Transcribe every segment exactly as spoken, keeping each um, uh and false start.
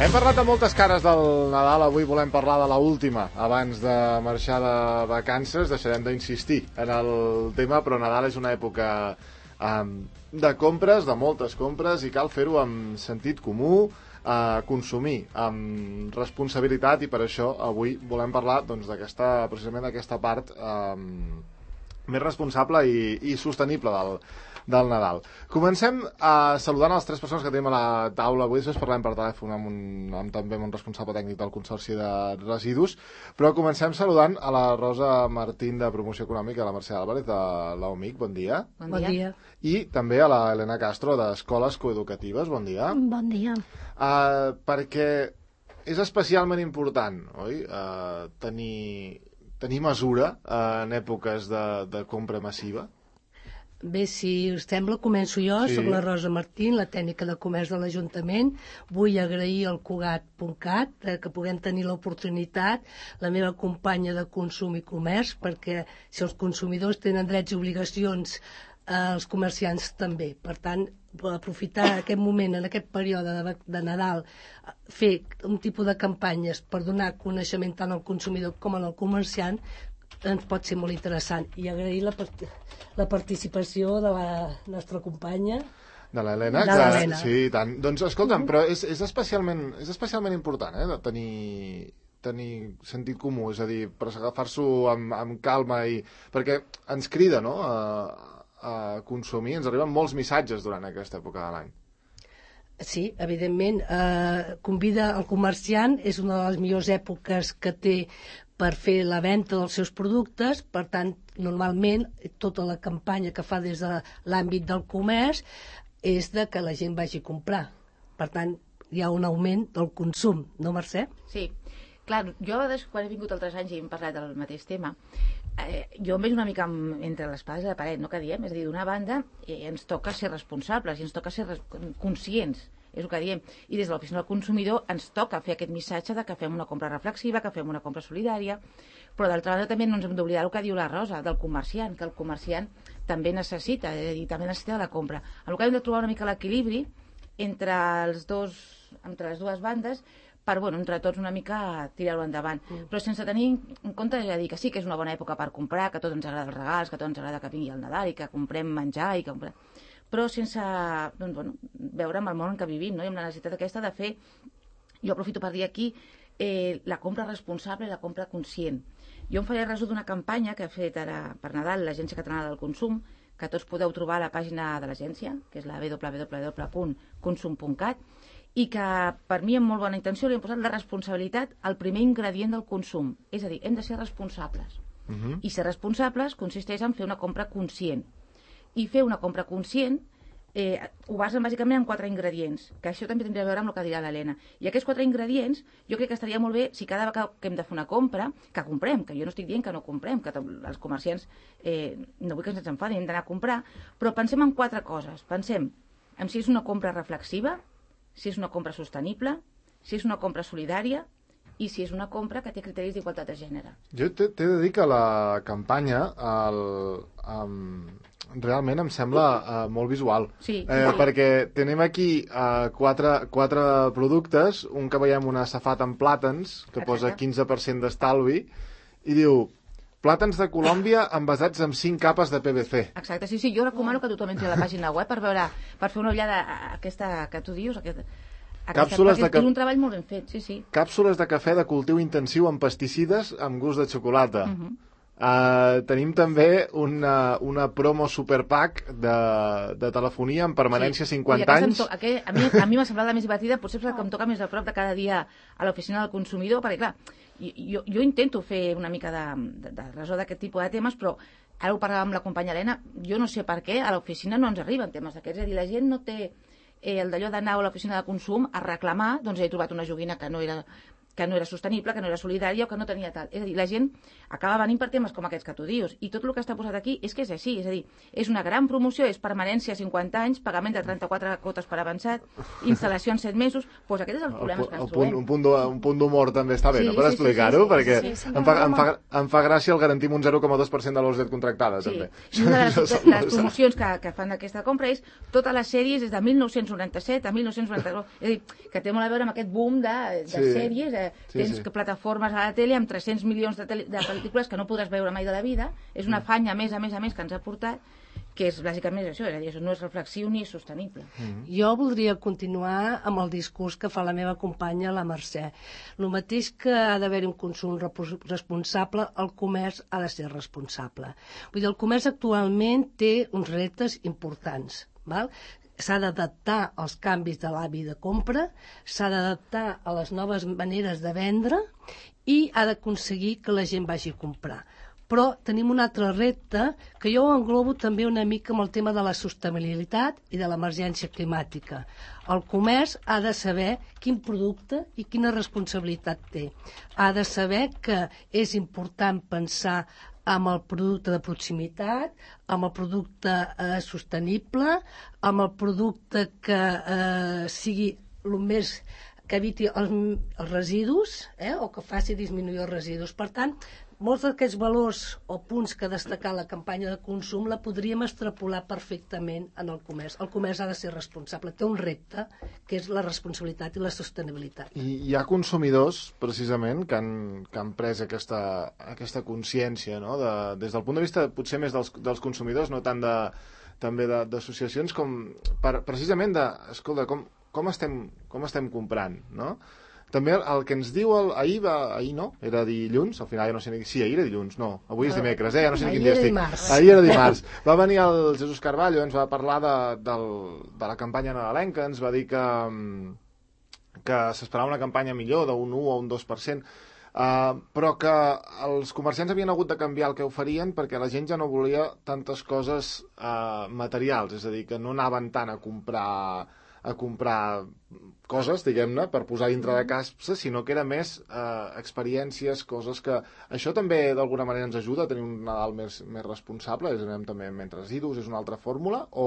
Hem parlat de moltes cares del Nadal, avui volem parlar de l'última abans de marxar de vacances. Deixarem d'insistir en el tema, però Nadal és una època um, de compres, de moltes compres, i cal fer-ho amb sentit comú, uh, consumir amb responsabilitat, i per això avui volem parlar doncs, d'aquesta, precisament d'aquesta part um, més responsable i, i sostenible del del Nadal. Comencem uh, saludant a les tres persones que tenim a la taula avui. Després parlem per telèfon amb, un, amb també amb un responsable tècnic del Consorci de Residus, però comencem saludant a la Rosa Martín de Promoció Econòmica, a la Mercè Álvarez de l'A O M I C, bon dia. Bon dia. Bon dia. I també a la Helena Castro d'Escoles Coeducatives, bon dia. Bon dia. Uh, perquè és especialment important, oi?, uh, tenir, tenir mesura uh, en èpoques de, de compra massiva. Bé, si us sembla, començo jo. Sí. Soc la Rosa Martín, la tècnica de comerç de l'Ajuntament. Vull agrair al Cugat punt cat eh, que puguem tenir l'oportunitat, la meva companya de consum i comerç, perquè si els consumidors tenen drets i obligacions, eh, els comerciants també. Per tant, aprofitar aquest moment, en aquest període de, de Nadal, fer un tipus de campanyes per donar coneixement tant al consumidor com al comerciant, ens pot ser molt interessant, i agrair la, la participació de la nostra companya de l'Helena, de l'Helena. Sí, tant. Doncs escolta'm, però és, és, especialment, és especialment important, eh, de tenir, tenir sentit comú, és a dir, per agafar-s'ho amb, amb calma, i perquè ens crida, no?, a, a consumir. Ens arriben molts missatges durant aquesta època de l'any. Sí, evidentment, eh, convida el comerciant, és una de les millors èpoques que té per fer la venda dels seus productes. Per tant, normalment, tota la campanya que fa des de l'àmbit del comerç és de que la gent vagi a comprar. Per tant, hi ha un augment del consum, no, Mercè? Sí, clar, jo quan he vingut altres anys i hem parlat del mateix tema, eh, jo em veig una mica entre l'espasa i la paret, no, que diem? És a dir, d'una banda, eh, ens toca ser responsables i ens toca ser conscients, és el que diem, i des de l'oficina del consumidor ens toca fer aquest missatge de que fem una compra reflexiva, que fem una compra solidària, però d'altra banda també no ens hem d'oblidar el que diu la Rosa, del comerciant, que el comerciant també necessita, és a dir, també necessita la compra. En el que hem de trobar una mica l'equilibri entre els dos, entre les dues bandes, per, bueno, entre tots una mica tirar-ho endavant. Mm. Però sense tenir en compte, és a dir, que sí que és una bona època per comprar, que a tots ens agrada els regals, que a tots ens agrada que vingui el Nadal i que comprem menjar i que comprem... però sense, doncs, bueno, veure amb el món en què vivim, no? I amb la necessitat aquesta de fer, jo aprofito per dir aquí, eh, la compra responsable i la compra conscient. Jo em faré resum d'una campanya que ha fet ara per Nadal l'Agència Catalana del Consum, que tots podeu trobar a la pàgina de l'agència, que és la w w w punt consum punt cat, i que per mi amb molt bona intenció li hem posat la responsabilitat al primer ingredient del consum. És a dir, hem de ser responsables. Uh-huh. I ser responsables consisteix en fer una compra conscient. I fer una compra conscient eh, ho basen bàsicament en quatre ingredients, que això també tindria a veure amb el que dirà l'Helena. I aquests quatre ingredients jo crec que estaria molt bé si cada vegada que hem de fer una compra, que comprem, que jo no estic dient que no comprem, que els comerciants eh, no vull que ens enfadin, hem d'anar a comprar, però pensem en quatre coses. Pensem en si és una compra reflexiva, si és una compra sostenible, si és una compra solidària i si és una compra que té criteris d'igualtat de gènere. Jo t'he de dir que la campanya el, um, realment em sembla uh, molt visual. Sí, eh, sí. Perquè tenim aquí uh, quatre, quatre productes, un que veiem una safata amb plàtans, que Exacte. Posa quinze per cent d'estalvi, i diu... Plàtans de Colòmbia envasats amb cinc capes de P V C. Exacte, sí, sí, jo recomano que tothom entri a la pàgina web per veure, per fer una ullada a aquesta que tu dius, aquesta, Càpsules aquesta, de ca... és un treball molt ben fet, sí, sí. Càpsules de cafè de cultiu intensiu amb pesticides amb gust de xocolata. Uh -huh. uh, tenim també una, una promo superpack de, de telefonia amb permanència sí. cinquanta anys. To... Aquell, a mi a mi m'ha semblat la més divertida, potser és la que em toca més a prop de cada dia a l'oficina del consumidor, perquè clar, jo, jo intento fer una mica de, de, de resó d'aquest tipus de temes, però ara ho parlàvem amb la companya Helena, jo no sé per què a l'oficina no ens arriben temes d'aquests, és a dir, la gent no té eh, el d'allò d'anar a l'oficina de consum a reclamar, doncs he trobat una joguina que no era que no era sostenible, que no era solidària o que no tenia tal. És a dir, la gent acaba venint per temes com aquests que tu dius, i tot el que està posat aquí és que és així, és a dir, és una gran promoció, és permanència a cinquanta anys, pagament de trenta-quatre quotes per avançat, instal·lació en set mesos, doncs aquest és el problema que ens trobem. Un punt, un punt d'humor també està bé, sí, no? Per sí, explicar-ho, sí, sí, perquè sí, sí, sí, em, fa, em, fa, em fa gràcia el garantim un zero coma dos per cent de l'O S D contractada, sí. també. I una de les, les promocions que, que fan d'aquesta compra és totes les sèries des de mil nou-cents noranta-set a mil nou-cents noranta-nou, és a dir, que té molt a veure amb aquest boom de, de sí. sèries, eh, sí, tens sí. que plataformes a la tele amb tres-cents milions de, tele, de pel·lícules que no podràs veure mai de la vida, és una afany a més a més a més que ens ha portat, que és bàsicament això, és a dir, això no és reflexiu ni sostenible. Mm-hmm. Jo voldria continuar amb el discurs que fa la meva companya, la Mercè. El mateix que ha d'haver-hi un consum responsable, el comerç ha de ser responsable. Vull dir, el comerç actualment té uns reptes importants, val? S'ha d'adaptar als canvis de l'hàbit de compra, s'ha d'adaptar a les noves maneres de vendre i ha d'aconseguir que la gent vagi a comprar. Però tenim un altre repte que jo englobo també una mica amb el tema de la sostenibilitat i de l'emergència climàtica. El comerç ha de saber quin producte i quina responsabilitat té. Ha de saber que és important pensar amb el producte de proximitat, amb el producte eh, sostenible, amb el producte que eh, sigui el més que eviti els, els residus, eh, o que faci disminuir els residus. Per tant, molts d'aquests valors o punts que ha destacat la campanya de consum la podríem extrapolar perfectament en el comerç. El comerç ha de ser responsable, té un repte que és la responsabilitat i la sostenibilitat. I hi ha consumidors, precisament, que han, que han pres aquesta, aquesta consciència, no? de, des del punt de vista potser més dels, dels consumidors, no tant de, també d'associacions, com per, precisament de, escolta, com, com, estem, com estem comprant, no? També el que ens diu el, ahir, va, ahir no, era dilluns, al final ja no sé ni... Sí, ahir era dilluns, no, avui és dimecres, eh? Ja no sé ni quin dia estic. Ahir era dimarts. Va venir el Jesús Carballo, ens va parlar de, del, de la campanya nadalenca, ens va dir que, que s'esperava una campanya millor d'un u o un dos per cent, uh, però que els comerciants havien hagut de canviar el que oferien perquè la gent ja no volia tantes coses uh, materials, és a dir, que no anaven tant a comprar a comprar coses, diguem-ne, per posar dintre de casa, sinó que era més eh, experiències, coses que... Això també d'alguna manera ens ajuda a tenir un Nadal més, més responsable, és anem també menys residus, és una altra fórmula, o,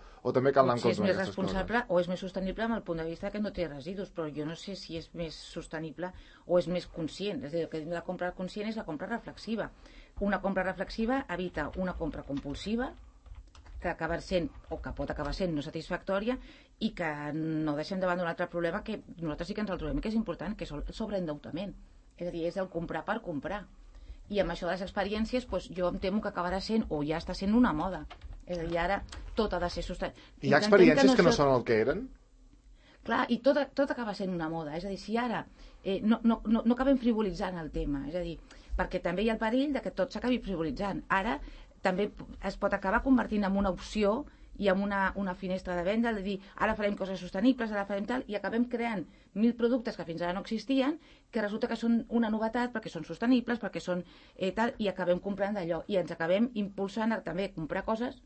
o també cal anar en compte amb aquestes coses? Si és més responsable o és més sostenible amb el punt de vista que no té residus, però jo no sé si és més sostenible o és més conscient. És a dir, el que la compra conscient és la compra reflexiva. Una compra reflexiva evita una compra compulsiva, que acaba sent, o que pot acabar sent no satisfactòria, i que no deixem davant d'un altre problema que nosaltres sí que ens el trobem, que és important, que és el sobreendeutament. És a dir, és el comprar per comprar. I amb això de les experiències, doncs, jo em temo que acabarà sent, o ja està sent una moda. És a dir, ara tot ha de ser sostenible. Hi ha experiències que no, que no són el que eren? Clar, i tot, tot acaba sent una moda. És a dir, si ara eh, no, no, no, no acabem frivolitzant el tema, és a dir, perquè també hi ha el perill de que tot s'acabi frivolitzant. Ara també es pot acabar convertint en una opció i en una, una finestra de venda, de dir, ara farem coses sostenibles, ara farem tal, i acabem creant mil productes que fins ara no existien, que resulta que són una novetat perquè són sostenibles, perquè són eh, tal, i acabem comprant d'allò, i ens acabem impulsant a també comprar coses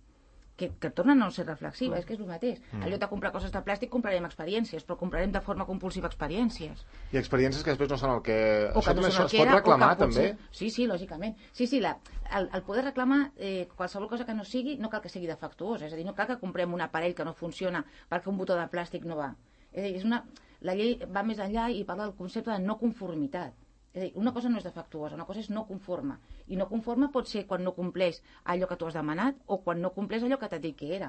que, que tornen a no ser reflexives, mm. és que és el mateix. Mm. En lloc de comprar coses de plàstic, comprarem experiències, però comprarem de forma compulsiva experiències. I experiències que després no són el que... O això que no també són el es que pot era, reclamar, o que potser... també? Sí, sí, lògicament. Sí, sí, la, el, el poder reclamar eh, qualsevol cosa que no sigui, no cal que sigui defectuosa, és a dir, no cal que comprem un aparell que no funciona perquè un botó de plàstic no va. És a dir, és una... la llei va més enllà i parla del concepte de no conformitat. És a dir, una cosa no és defectuosa, una cosa és no conforme. I no conforme pot ser quan no compleix allò que tu has demanat o quan no compleix allò que t'ha dit que era.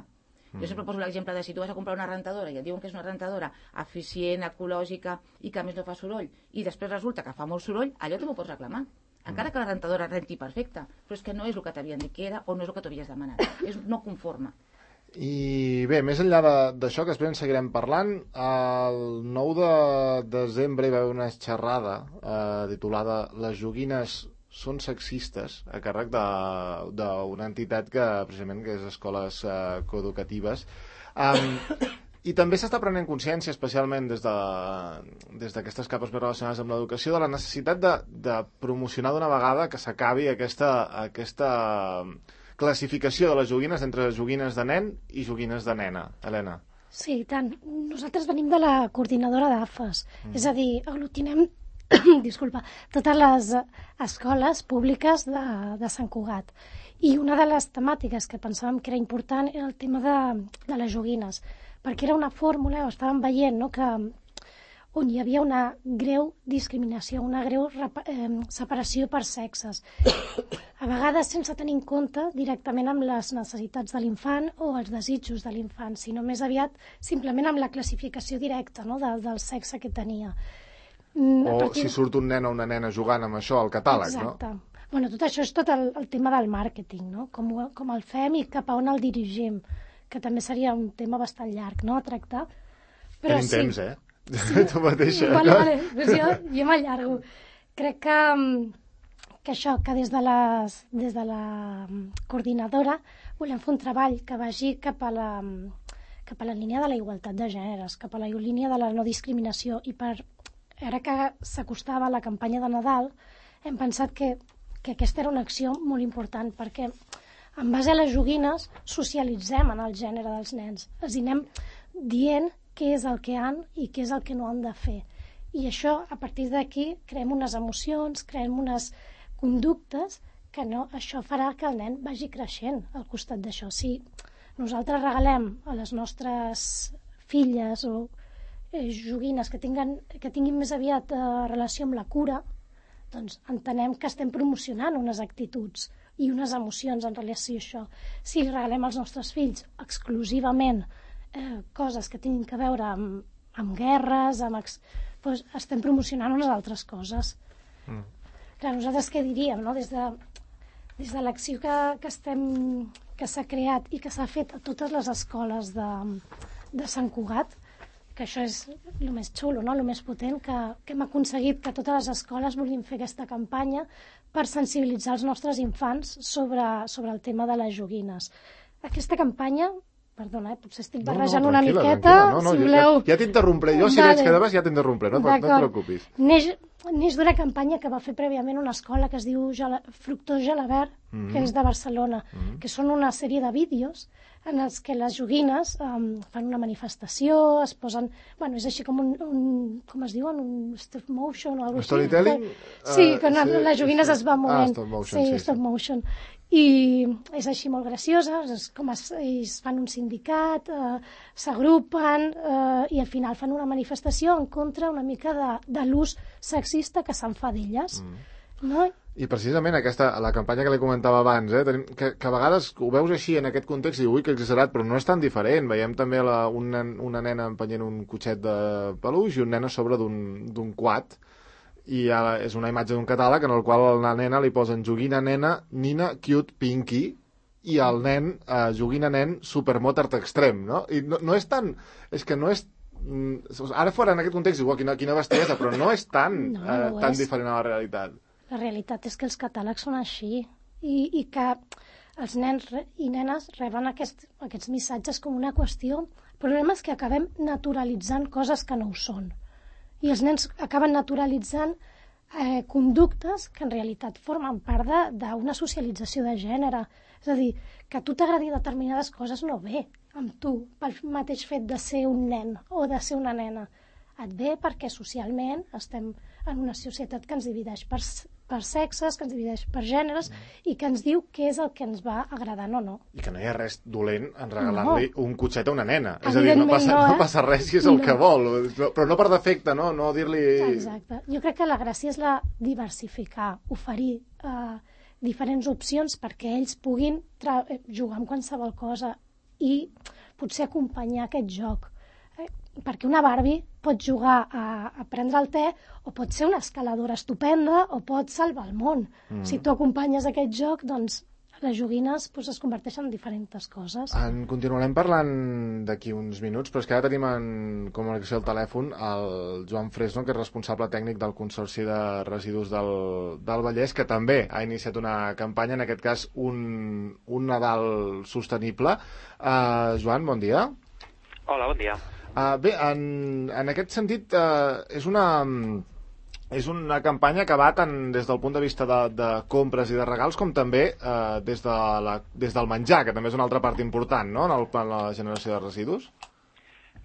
Jo sempre poso l'exemple de si tu vas a comprar una rentadora i et diuen que és una rentadora eficient, ecològica i que a més no fa soroll, i després resulta que fa molt soroll, allò tu m'ho pots reclamar. Encara que la rentadora renti perfecta, però és que no és el que t'havien dit que era o no és el que t'havies demanat. És no conforme. I bé, més enllà d'això, que després en seguirem parlant, el nou de desembre hi va haver una xerrada eh, titulada Les joguines són sexistes, a càrrec d'una entitat que precisament que és Escoles eh, Coeducatives. Um, I també s'està prenent consciència, especialment des d'aquestes de, capes més relacionades amb l'educació, de la necessitat de, de promocionar d'una vegada que s'acabi aquesta, aquesta classificació de les joguines entre joguines de nen i joguines de nena. Helena. Sí, i tant. Nosaltres venim de la coordinadora d'A F E S, mm. és a dir, aglutinem disculpa, totes les escoles públiques de, de Sant Cugat. I una de les temàtiques que pensàvem que era important era el tema de, de les joguines, perquè era una fórmula, o estàvem veient, no?, que on hi havia una greu discriminació, una greu eh, separació per sexes. A vegades sense tenir en compte directament amb les necessitats de l'infant o els desitjos de l'infant, sinó més aviat simplement amb la classificació directa, no?, de, del sexe que tenia. O partir... si surt un nen o una nena jugant amb això al catàleg, Exacte. No? Exacte. Bueno, tot això és tot el, el tema del màrqueting, no?, com, com el fem i cap a on el dirigim, que també seria un tema bastant llarg, no?, a tractar. Però Tenim sí. temps, eh? Sí. Tu mateixa. Vale, vale, pues jo, jo m'allargo. Crec que, que això, que des de, les, des de la coordinadora volem fer un treball que vagi cap a la, cap a la línia de la igualtat de gèneres, cap a la línia de la no discriminació, i per, ara que s'acostava la campanya de Nadal, hem pensat que, que aquesta era una acció molt important, perquè en base a les joguines socialitzem en el gènere dels nens, els hi anem dient què és el que han i què és el que no han de fer. I això, a partir d'aquí, creem unes emocions, creem unes conductes que no, això farà que el nen vagi creixent al costat d'això. Si nosaltres regalem a les nostres filles o eh, joguines que, tinguen, que tinguin més aviat eh, relació amb la cura, doncs entenem que estem promocionant unes actituds i unes emocions en relació a això. Si regalem als nostres fills exclusivament Eh, coses que tinguin a veure amb, amb guerres, amb ex... doncs estem promocionant unes altres coses. Mm. Clar, nosaltres què diríem, no?, des de, des de l'acció que, que estem que s'ha creat i que s'ha fet a totes les escoles de, de Sant Cugat, que això és el més xulo, no?, el més potent, que, que hem aconseguit que totes les escoles vulguin fer aquesta campanya per sensibilitzar els nostres infants sobre, sobre el tema de les joguines. Aquesta campanya, perdona, eh, potser estic barrejant no, no, una miqueta, no, no, si voleu... Ja, ja t'interrompré, jo si vale. Veig que debes ja t'interrompré, no, no et preocupis. Neix, neix d'una campanya que va fer prèviament una escola que es diu Gela, Fructós Gelabert, mm-hmm. que és de Barcelona, mm-hmm. que són una sèrie de vídeos en els que les joguines um, fan una manifestació, es posen... Bueno, és així com un... un com es diuen? Un stop motion o alguna cosa així. Storytelling? Sí, que uh, sí, les joguines sí. es van movent. Ah, stop motion, sí. Sí, stop sí. motion. I és així molt graciosa, és com es, es fan un sindicat, eh, s'agrupen eh, i al final fan una manifestació en contra una mica de, de l'ús sexista que se'n fa d'elles. Mm. No? I precisament aquesta, la campanya que li comentava abans, eh, tenim, que, que a vegades ho veus així en aquest context i dius, ui, que exagerat, però no és tan diferent. Veiem també la, una, una nena empenyent un cotxet de peluix i un nen a sobre d'un quad, i ara és una imatge d'un catàleg en el qual a la nena li posen joguina nena, nina, cute, pinky, i el nen, eh, joguina nen, supermotard extrem, no? I no, no és tan... És que no és... Ara fora en aquest context, igual, quina, quina bestiesa, però no és tan, no, no eh, tan és. diferent a la realitat. La realitat és que els catàlegs són així, i, i que els nens i nenes reben aquest, aquests missatges com una qüestió. El problema és que acabem naturalitzant coses que no ho són. I els nens acaben naturalitzant eh, conductes que en realitat formen part d'una socialització de gènere. És a dir, que a tu t'agradi determinades coses no ve amb tu pel mateix fet de ser un nen o de ser una nena. Et ve perquè socialment estem en una societat que ens divideix per, per sexes, que ens divideix per gèneres i que ens diu què és el que ens va agradant o no. I que no hi ha res dolent en regalar-li no. un cotxet a una nena. És a dir, no no, passa, eh? no passa res si és el no. que vol, però no per defecte, no, no dir-li... Exacte. Jo crec que la gràcia és la diversificar, oferir eh, diferents opcions perquè ells puguin jugar amb qualsevol cosa i potser acompanyar aquest joc. Perquè una Barbie pot jugar a, a prendre el te o pot ser una escaladora estupenda o pot salvar el món. Mm. Si tu acompanyes aquest joc, doncs les joguines pues, es converteixen en diferents coses. En continuarem parlant d'aquí uns minuts, però és que ara tenim en comunicació al telèfon el Joan Fresno, que és responsable tècnic del Consorci de Residus del, del Vallès, que també ha iniciat una campanya, en aquest cas un, un Nadal sostenible. Uh, Joan, bon dia. Hola, bon dia. Uh, bé, en, en aquest sentit, uh, és una... És una campanya que va tant des del punt de vista de, de compres i de regals com també eh, des, de la, des del menjar, que també és una altra part important, no?, en, el, en la generació de residus.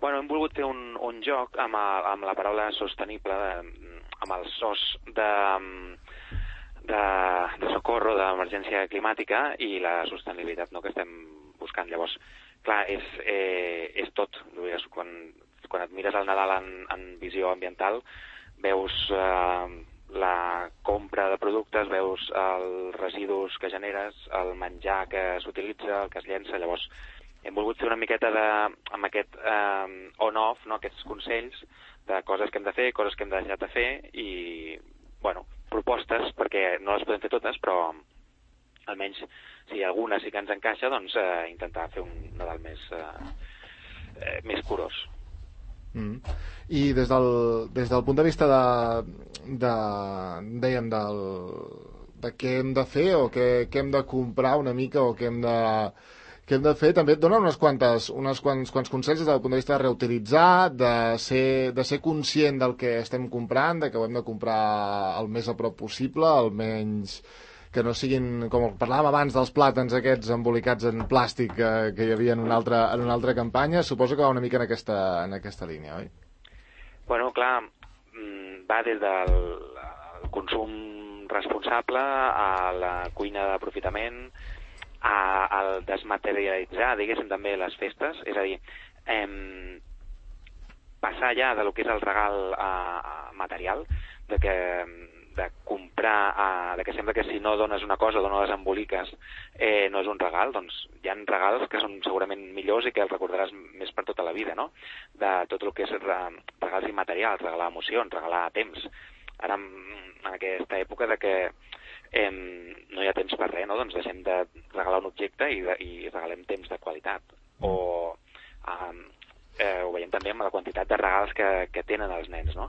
Bueno, hem volgut fer un, un joc amb, a, amb la paraula sostenible de, amb el S O S de, de, de socorro, d'emergència climàtica i la sostenibilitat, no?, que estem buscant. Llavors, clar, és, eh, és tot. Quan, quan et mires el Nadal en, en visió ambiental, veus eh, la compra de productes, veus els residus que generes, el menjar que s'utilitza, el que es llença. Llavors, hem volgut fer una miqueta de, amb aquest eh, on-off, no?, aquests consells de coses que hem de fer, coses que hem de deixar de fer i, bueno, propostes, perquè no les podem fer totes, però almenys si alguna sí que ens encaixa, doncs eh, intentar fer un Nadal més, eh, eh, més curós. Mm. I des del, des del punt de vista de, de dèiem, del, de què hem de fer o què, què hem de comprar una mica o què hem de què hem de fer, també et dona unes quantes, unes quants, quants consells des del punt de vista de reutilitzar, de ser, de ser conscient del que estem comprant, de que ho hem de comprar el més a prop possible, almenys que no siguin, com parlàvem abans dels plàtans aquests embolicats en plàstic que, que hi havia en una, altra, en una altra campanya. Suposo que va una mica en aquesta, en aquesta línia, oi? Bueno, clar, va des del consum responsable a la cuina d'aprofitament, a, al desmaterialitzar, diguéssim, també les festes, és a dir, eh, passar ja de lo que és el regal eh, material, de que de comprar, eh, de que sembla que si no dones una cosa o no les emboliques eh, no és un regal, doncs hi ha regals que són segurament millors i que els recordaràs més per tota la vida, no? De tot el que és regals immaterials, regalar emocions, regalar temps. Ara, en aquesta època de que Eh, no hi ha temps per res, no? Doncs deixem de regalar un objecte i, de, i regalem temps de qualitat. O eh, eh, ho veiem també amb la quantitat de regals que, que tenen els nens, no?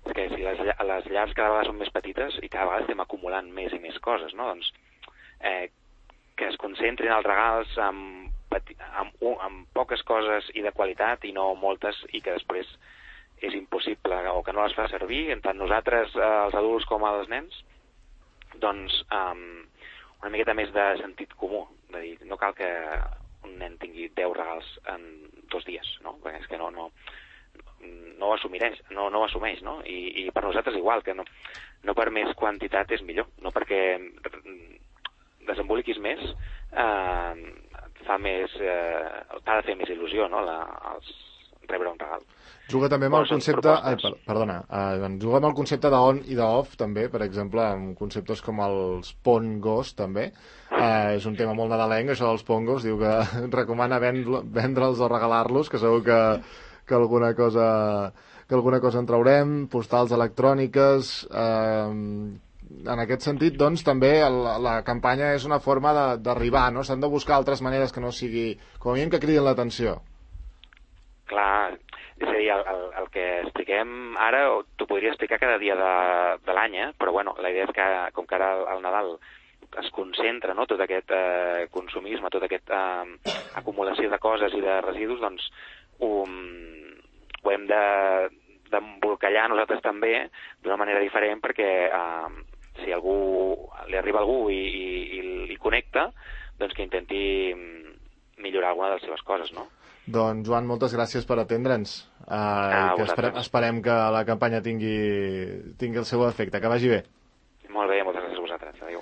És que si les, les llars cada vegada són més petites i cada vegada estem acumulant més i més coses, no? Doncs eh, que es concentrin els regals amb, amb, amb poques coses i de qualitat i no moltes i que després és impossible o que no les fa servir, tant nosaltres, eh, els adults com els nens, doncs um, una miqueta més de sentit comú, de dir, no cal que un nen tingui deu regals en dos dies, no? Perquè és que no, no, no ho assumeix, no, no ho assumeix, no? I, i per nosaltres igual, que no, no per més quantitat és millor, no perquè desemboliquis més, eh, fa més, eh, t'ha de fer més il·lusió, no? La, els, rebre un regal. Juga també amb el concepte... Ai, per, perdona, eh, juga amb el concepte d'on i d'off, també, per exemple, amb conceptes com els pongos, també. Eh, és un tema molt nadalenc, això dels pongos. Diu que recomana vendre'ls o regalar-los, que segur que, que, alguna cosa, que alguna cosa en traurem. Postals electròniques... Eh, en aquest sentit, doncs, també la, la campanya és una forma d'arribar, no? S'han de buscar altres maneres que no sigui... Com a mínim que cridin l'atenció. Clar, és a dir, el, el, el que expliquem ara t'ho podria explicar cada dia de, de l'any, eh? Però bueno, la idea és que, com que ara al Nadal es concentra, no?, tot aquest eh, consumisme, tota aquesta eh, acumulació de coses i de residus, doncs ho, ho hem de d'embolcallar nosaltres també d'una manera diferent perquè eh, si algú li arriba a algú i, i, i, i connecta, doncs que intenti millorar alguna de les seves coses, no? Doncs, Joan, moltes gràcies per atendre'ns. Uh, ah, que esperem, esperem que la campanya tingui, tingui el seu efecte. Que vagi bé. Molt bé, moltes gràcies a vosaltres. Adéu.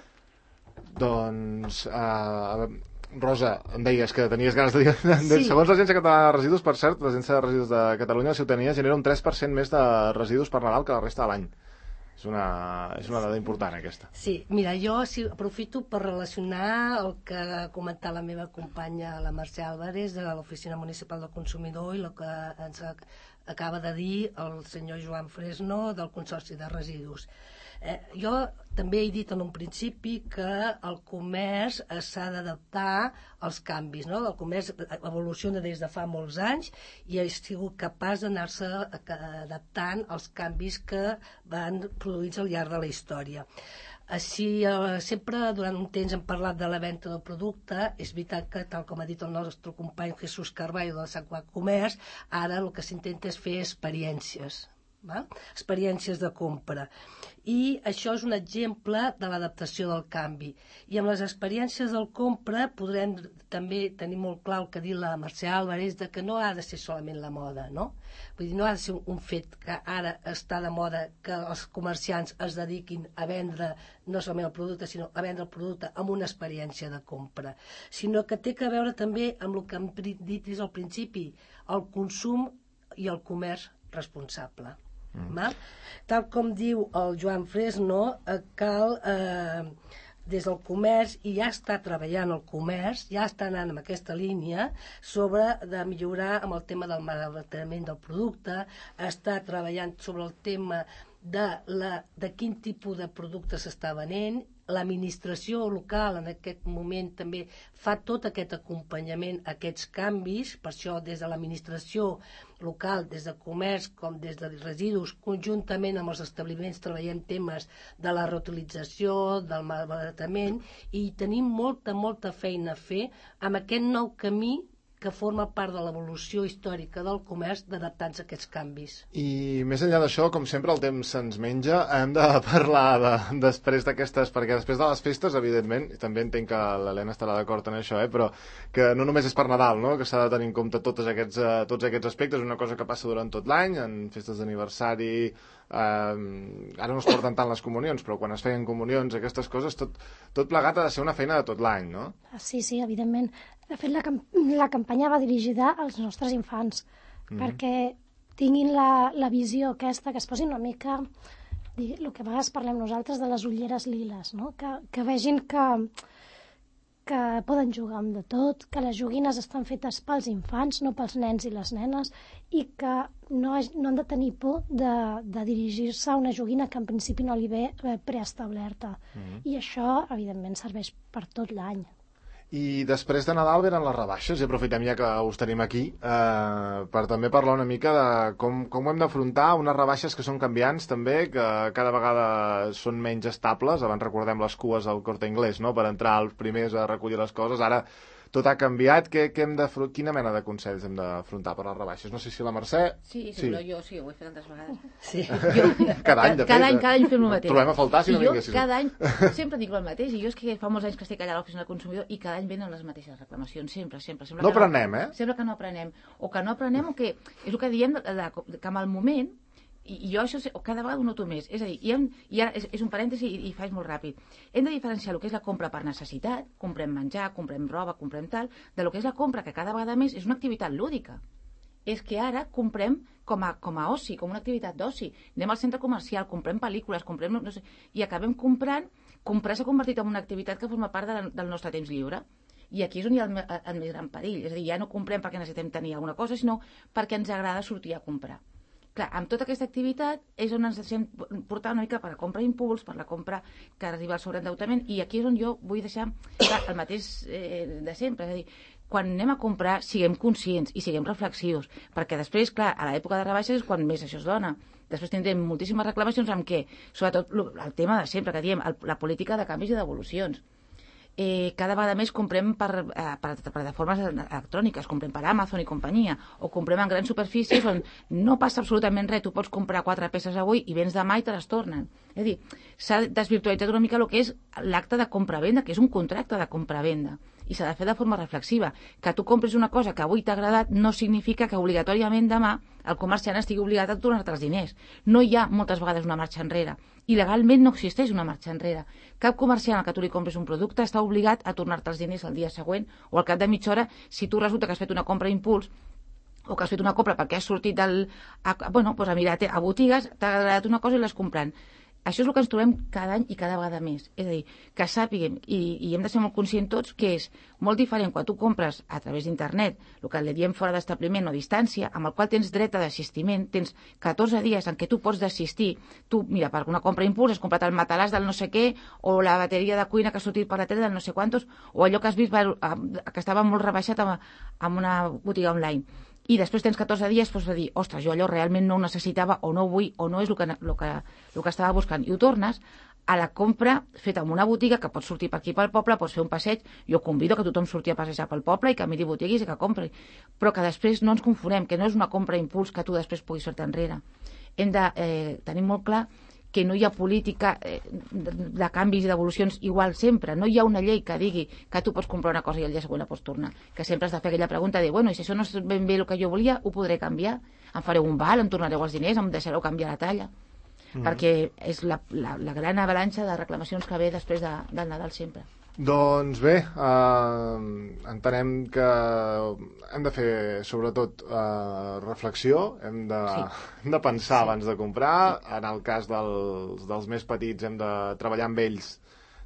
Doncs, uh, Rosa, em deies que tenies ganes de dir... Sí. Segons l'Agència Catalana de Residus, per cert, l'Agència de Residus de Catalunya, la ciutadania genera un tres per cent més de residus per Nadal que la resta de l'any. És una, és una dada important, aquesta. Sí, mira, jo sí, aprofito per relacionar el que ha comentat la meva companya, la Mercè Álvarez, de l'Oficina Municipal del Consumidor, i el que ens acaba de dir el senyor Joan Fresno, del Consorci de Residus. Eh, jo també he dit en un principi que el comerç s'ha d'adaptar als canvis, no? El comerç evoluciona des de fa molts anys i ha sigut capaç d'anar-se adaptant als canvis que van produïts al llarg de la història. Així, eh, sempre durant un temps hem parlat de la venda del producte. És veritat que, tal com ha dit el nostre company Jesús Carballo del Sant Quat Comerç, ara el que s'intenta és fer experiències. val? Experiències de compra. I això és un exemple de l'adaptació del canvi. I amb les experiències del compra podrem també tenir molt clar el que ha dit la Mercè Álvarez, de que no ha de ser solament la moda, no? Vull dir, no ha de ser un fet que ara està de moda que els comerciants es dediquin a vendre no solament el producte, sinó a vendre el producte amb una experiència de compra, sinó que té que veure també amb el que hem dit des del principi, el consum i el comerç responsable. Mm. Tal com diu el Joan Fresno, eh, cal eh, des del comerç, i ja està treballant el comerç, ja està anant en aquesta línia sobre de millorar amb el tema del malbaratament del producte, està treballant sobre el tema de, la, de quin tipus de producte s'està venent. L'administració local en aquest moment també fa tot aquest acompanyament a aquests canvis, per això des de l'administració local, des de comerç com des de residus, conjuntament amb els establiments treballem temes de la reutilització, del malbaratament, i tenim molta, molta feina a fer amb aquest nou camí que forma part de l'evolució històrica del comerç d'adaptar-nos a aquests canvis. I més enllà d'això, com sempre, el temps se'ns menja. Hem de parlar de, després d'aquestes... Perquè després de les festes, evidentment, també entenc que l'Helena estarà d'acord en això, eh? Però que no només és per Nadal, no? Que s'ha de tenir en compte tots aquests, uh, tots aquests aspectes. És una cosa que passa durant tot l'any, en festes d'aniversari... Uh, ara no es porten tant les comunions, però quan es feien comunions, aquestes coses, tot, tot plegat ha de ser una feina de tot l'any, no? Sí, sí, evidentment. De fet, la, camp la campanya va dirigida als nostres infants, mm-hmm. perquè tinguin la, la visió aquesta, que es posin una mica, el que a vegades parlem nosaltres de les ulleres liles, no? que, que vegin que, que poden jugar amb de tot, que les joguines estan fetes pels infants, no pels nens i les nenes, i que no, no han de tenir por de, de dirigir-se a una joguina que en principi no li ve preestablerta. Mm-hmm. I això, evidentment, serveix per tot l'any. I després de Nadal venen les rebaixes, i aprofitem ja que us tenim aquí eh, per també parlar una mica de com, com ho hem d'afrontar, unes rebaixes que són canviants també, que cada vegada són menys estables. Abans recordem les cues al Corte Inglés, no?, per entrar els primers a recollir les coses. Ara tot ha canviat. Què, què hem de, quina mena de consells hem d'afrontar per les rebaixes? No sé si la Mercè... Sí, sí, sí. Però jo sí, ho he fet tantes vegades. Sí. Jo, cada any, de fet. Cada any, cada any fem el mateix. Trobem a faltar si no vinguessis. Jo cada any sempre dic el mateix, i jo és que fa molts anys que estic allà a l'oficina del consumidor i cada any venen les mateixes reclamacions, sempre, sempre. sempre no aprenem, no, eh? Sembla que no aprenem. O que no aprenem, o que és el que diem, de, de, que amb el moment, i, i jo això cada vegada ho noto més, és a dir, i, hem, i ara és, és un parèntesi i, i faig molt ràpid, hem de diferenciar el que és la compra per necessitat, comprem menjar, comprem roba, comprem tal, de lo que és la compra que cada vegada més és una activitat lúdica. És que ara comprem com a, com a oci, com una activitat d'oci. Anem al centre comercial, comprem pel·lícules, comprem, no sé, i acabem comprant, comprar s'ha convertit en una activitat que forma part de la, del nostre temps lliure. I aquí és on hi ha el, el, el més gran perill. És a dir, ja no comprem perquè necessitem tenir alguna cosa, sinó perquè ens agrada sortir a comprar. Clar, amb tota aquesta activitat és on ens deixem portar una mica per la compra impuls, per la compra que arriba al sobreendeutament, i aquí és on jo vull deixar clar, el mateix eh, de sempre. És a dir, quan anem a comprar, siguem conscients i siguem reflexius, perquè després, clar, a l'època de rebaixes és quan més això es dona. Després tindrem moltíssimes reclamacions amb què, sobretot el tema de sempre que diem, el, la política de canvis i devolucions. Eh, cada vegada més comprem per, eh, per plataformes electròniques, comprem per Amazon i companyia, o comprem en grans superfícies on no passa absolutament res, tu pots comprar quatre peces avui i vens demà i te les tornen. És a dir, s'ha desvirtualitzat una mica el que és l'acte de compra-venda, que és un contracte de compra-venda, i s'ha de fer de forma reflexiva. Que tu compres una cosa que avui t'ha agradat no significa que obligatòriament demà el comerciant estigui obligat a tornar-te els diners. No hi ha moltes vegades una marxa enrere. I legalment no existeix una marxa enrere. Cap comerciant al que tu li compres un producte està obligat a tornar-te els diners el dia següent o al cap de mitja hora si tu resulta que has fet una compra impuls o que has fet una compra perquè has sortit del, a, bueno, doncs a mirar a botigues, t'ha agradat una cosa i l'has comprant. Això és el que ens trobem cada any i cada vegada més. És a dir, que sàpiguem, i, i hem de ser molt conscients tots, que és molt diferent quan tu compres a través d'internet, el que li diem fora d'establiment o distància, amb el qual tens dret a d'assistiment, tens catorze dies en què tu pots desistir. Tu, mira, per una compra impuls has comprat el matalàs del no sé què, o la bateria de cuina que ha sortit per la tele del no sé quantos, o allò que has vist que estava molt rebaixat en una botiga online. I després tens catorze dies pots dir, ostres, jo allò realment no ho necessitava o no ho vull o no és el que, el que, el que estava buscant. I ho tornes a la compra feta en una botiga que pots sortir per aquí pel poble, pots fer un passeig. Jo convido que tothom surti a passejar pel poble i que miri botigues i que compri. Però que després no ens confonem, que no és una compra impuls que tu després puguis fer-te enrere. hem de eh, tenir molt clar que no hi ha política eh, de, de canvis i devolucions igual sempre. No hi ha una llei que digui que tu pots comprar una cosa i el dia següent la pots tornar. Que sempre has de fer aquella pregunta de, bueno, i si això no és ben bé el que jo volia, ho podré canviar? Em fareu un val, em tornareu els diners, em deixareu canviar la talla? Mm. Perquè és la, la, la gran avalanxa de reclamacions que ve després de, del Nadal sempre. Doncs bé, eh, entenem que hem de fer, sobretot, eh, reflexió, hem de, sí. hem de pensar sí. abans de comprar. Sí. En el cas dels, dels més petits hem de treballar amb ells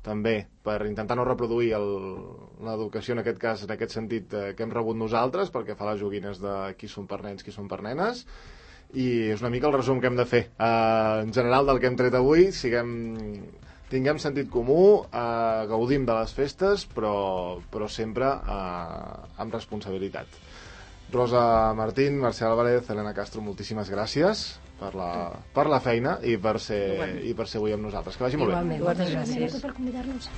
també per intentar no reproduir l'educació, en aquest cas, en aquest sentit, eh, que hem rebut nosaltres, perquè fa les joguines de qui són per nens, qui són per nenes. I és una mica el resum que hem de fer. Eh, en general, del que hem tret avui, siguem... tinguem sentit comú, eh, gaudim de les festes, però, però sempre eh, amb responsabilitat. Rosa Martín, Mercè Álvarez, Elena Castro, moltíssimes gràcies per la, per la feina i per ser, i per ser avui amb nosaltres. Que vagi molt bé. Igualment, moltes gràcies per convidar-nos.